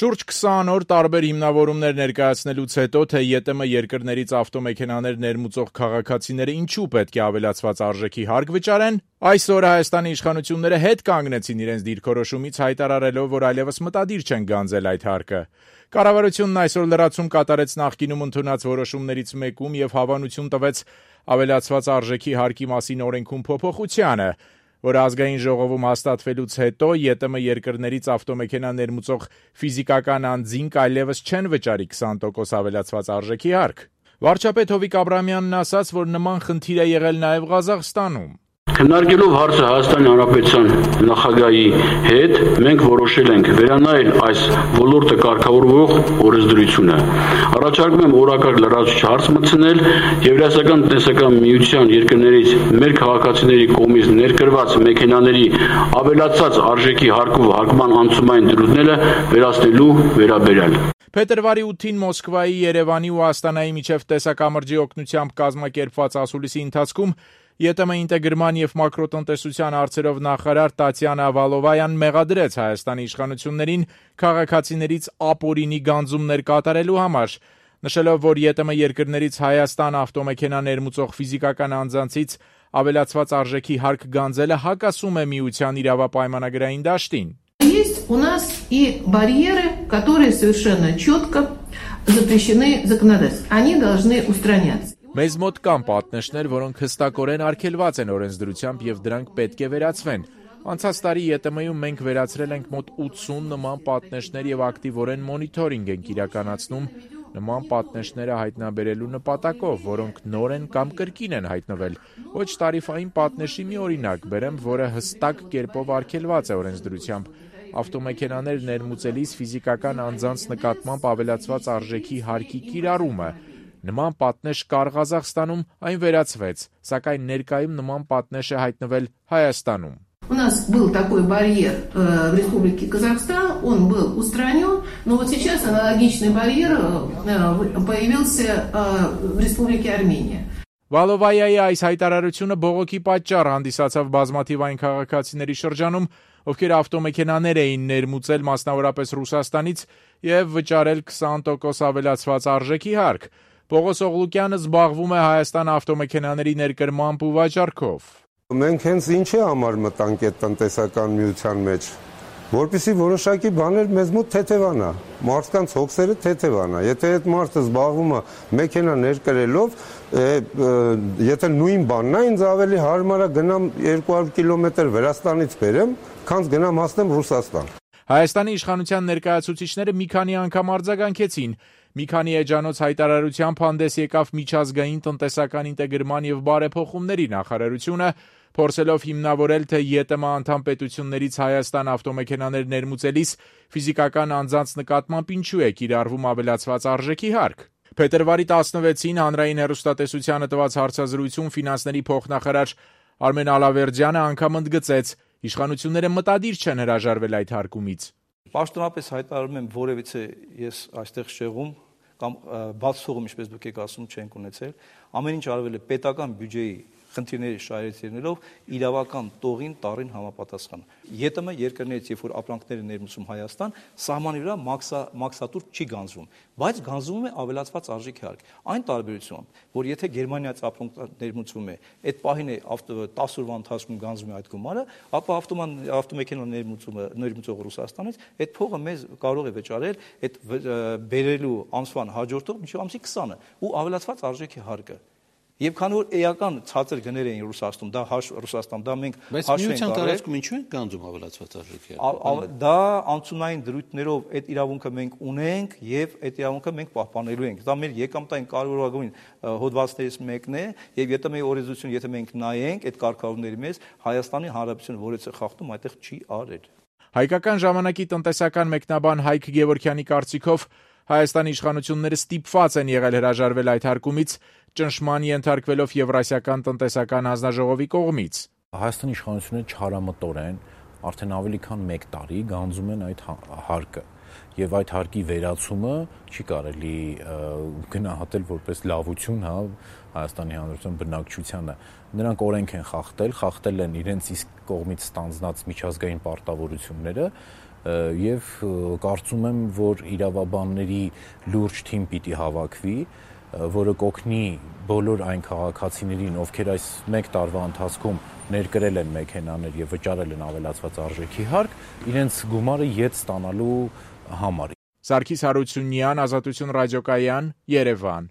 Շուրջ 20 օր տարբեր հիմնավորումներ ներկայացնելուց հետո, թե ԵՏՄ երկրներից ավտոմեքենաներ ներմուծող քաղաքացիները ինչու պետք է ավելացված արժեքի հարկ վճարեն, այսօր Հայաստանի իշխանությունները հետ կանգնեցին իրենց դիրքորոշումից, հայտարարելով, որ այլևս մտադիր չեն գանձել այդ հարկը։ Կառավարությունն այսօր լրացում կատարեց նախկինում ընդունած որոշումներից մեկում եւ հավանություն տվեց ավելացված արժեքի հարկի մասին օրենքում փոփոխությանը, որը ազգային ժողովում հաստատվելուց հետո ԵՏՄ երկրներից ավտոմեքենա ներմուծող ֆիզիկական անձինք այլևս չեն վճարի 20% ավելացված արժեքի հարկ։ Վարչապետ Հովիկ Աբրահամյանն ասաց, որ նման խնդիր է եղել նաև Ղազախստանում։ Քննարկելով հարցը Հայաստանի Հանրապետության նախագահի հետ, մենք որոշել ենք վերանայել այս ոլորտը կարգավորող օրենսդրությունը։ Առաջարկում եմ օրակարգ լրացուցիչ հարց մտցնել Եվրասիական տնտեսական միության երկրներից մեր քաղաքացիների կողմից ներկրված մեքենաների ավելացած արժեքի հարկով հարկման անցումային դրույթները վերացնելու վերաբերյալ։ Փետրվարի 8-ին Մոսկվայի, Երևանի ու Աստանայի միջև տեսակամրջի օգնությամբ կազմակերպված ասուլիսի ընթացքում ԵՏՄ ինտեգրման եւ մակրոտնտեսության հարցերով նախարար Տատյանա Վալովայան մեղադրեց Հայաստանի իշխանություններին քաղաքացիներից ապօրինի գանձումներ կատարելու համար, նշելով, որ ԵՏՄ երկրներից Հայաստան ավտոմեքենա ներմուծող ֆիզիկական անձանցից ավելացված արժեքի հարկ գանձելը հակասում է միության իրավապայմանագրային դաշտին։ Есть у нас и барьеры, которые совершенно четко запрещены законодательством. Они должны устраняться. Մեզ մոտ կան պատնեշներ, որոնք հստակորեն արգելված են օրենսդրությամբ եւ դրանք պետք է վերացվեն։ Անցած տարի ԵՏՄ-ում մենք վերացրել ենք մոտ 80 նման պատնեշներ եւ ակտիվորեն մոնիթորինգ ենք իրականացնում նման պատնեշները հայտնաբերելու նպատակով, որոնք նոր են կամ կրկին են հայտնվել։ Ոչ տարիֆային պատնեշի մի օրինակ բերեմ, որը հստակ կերպով արգելված է օրենսդրությամբ։ Ավտոմեքենաներ ներմուծելիս ֆիզիկական անձանց նկատմամբ ավելացված արժեքի հարկի կիրառումը։ Նման պատնեշ կար Ղազախստանում, այն վերացվեց, սակայն ներկայում նման պատնեշ է հայտնվել Հայաստանում։ У нас был такой барьер в Республике Казахстан, он был устранен, но вот сейчас аналогичный барьер появился в Республике Армения. Վալովայայի այս հայտարարությունը բողոքի պատճառ հանդիսացավ բազմաթիվ այն քաղաքացիների շրջանում, ովքեր ավտոմեքենաներ էին ներմուծել մասնավորապես Ռուսաստանից եւ վճարել 20% ավելացված արժեքի հարկ։ Պողոս Օղլուկյանը զբաղվում է Հայաստան ավտոմեքենաների ներկրմամբ ու վաճառքով։ Մենք հենց ինչի համար մտանք այդ տնտեսական միության մեջ, որպեսզի որոշակի բաներ մեզ մոտ թեթևանա, մարդկանց հոգսերը թեթևանա։ Եթե այդ մարդը զբաղվում է մեքենա ներկրելով, եթե նույն բանն է, ինձ ավելի հարմար է գնամ 200 կիլոմետր Վրաստանից բերեմ, քան գնամ հասնեմ Ռուսաստան։ Հայաստանի իշխանության ներկայացուցիչները մի քանի անգամ արձագանքեցին։ Մի քանի էջանոց հայտարարությամբ հանդես եկավ միջազգային տնտեսական ինտեգրման եւ բարեփոխումների նախարարությունը, փորձելով հիմնավորել, թե ԵՏՄ անդամ պետություններից Հայաստան ավտոմեքենաներ ներմուծելիս ֆիզիկական անձանց նկատմամբ ինչու է կիրառվում ավելացված արժեքի հարկ։ Փետրվարի 16-ին հանրային հեռուստատեսությանը տված հարցազրույցում ֆինանսների փոխնախարար Արմեն Ալավերդյանը անգամ ընդգծեց, իշխանությունները մտադիր չեն հրաժարվել այդ հարկումից։ Պաշտոնապես հայտարարում եմ, որևիցե ես այստեղ շեղում կամ բացթողում, ինչպես դուք եք ասում, չենք ունեցել, ամեն ինչ արվել է պետական բյուջեի խնդիրների շահերից իրավական տողին տարին համապատասխան։ ԵՏՄ երկրներից, երբ որ ապրանքները ներմուծում Հայաստան, սահմանի վրա մաքսատուր չի գանձվում, բայց գանձվում է ավելացված արժեքի հարկ։ Այն տարբերությամբ, որ եթե Գերմանիայից ապրանք ներմուծվում է, այդ պահին է 10 օրվա ընթացքում գանձվում է այդ գումարը, ապա ավտոմեքենա ներմուծող Ռուսաստանից այդ փողը մեզ կարող է վճարել այդ բերելու ամսվան հաջորդող մինչև ամսի 20-ը ու ավելացված արժեքի հարկը։ Եվ քանի որ էական ցածր գներ էին Ռուսաստան, դա մենք հաշվ ենք առել, ինչու են գանձում ավելացված արժեքի հարկը։ Դա անցումային դրույթներով այդ իրավունքը մենք ունենք եւ այդ իրավունքը մենք պահպանելու ենք։ Դա մեր եկամտային կարևորագույն հոդվածներից մեկն է եւ ԵՏՄ-ի օրենսդրությունը, եթե մենք նայենք այդ կարգավորումների մեջ, Հայաստանի Հանրապետությունը որից է խախտում, այդտեղ չի արել։ Հայկական ժամանակի տնտեսական մեկնաբան Հայկ Գևորգյանի կարծիքով Հայաստանի իշխանությունները ստիպված են եղել հրաժարվել այդ հարկումից, ճնշման ենթարկվելով Եվրասիական տնտեսական հանձնաժողովի կողմից։ Հայաստանի իշխանությունները չարամտորեն արդեն ավելի քան 1 տարի գանձում են այդ հարկը եւ այդ հարկի վերացումը չի կարելի գնահատել որպես լավություն, Հայաստանի Հանրապետության բնակչությանը։ Նրանք օրենք են խախտել են իրենց իսկ կողմից ստանձնած միջազգային պարտավորությունները եւ կարծում եմ, որ իրավաբանների լուրջ թիմ պիտի հավաքվի, որը կօգնի բոլոր այն քաղաքացիներին, ովքեր այս 1 տարվա ընթացքում ներկրել են մեքենաներ եւ վճարել են ավելացված արժեքի հարկ, իրենց գումարը ետ ստանալու համար։ Սարգիս Հարությունյան, Ազատություն ռադիոկայան, Երևան։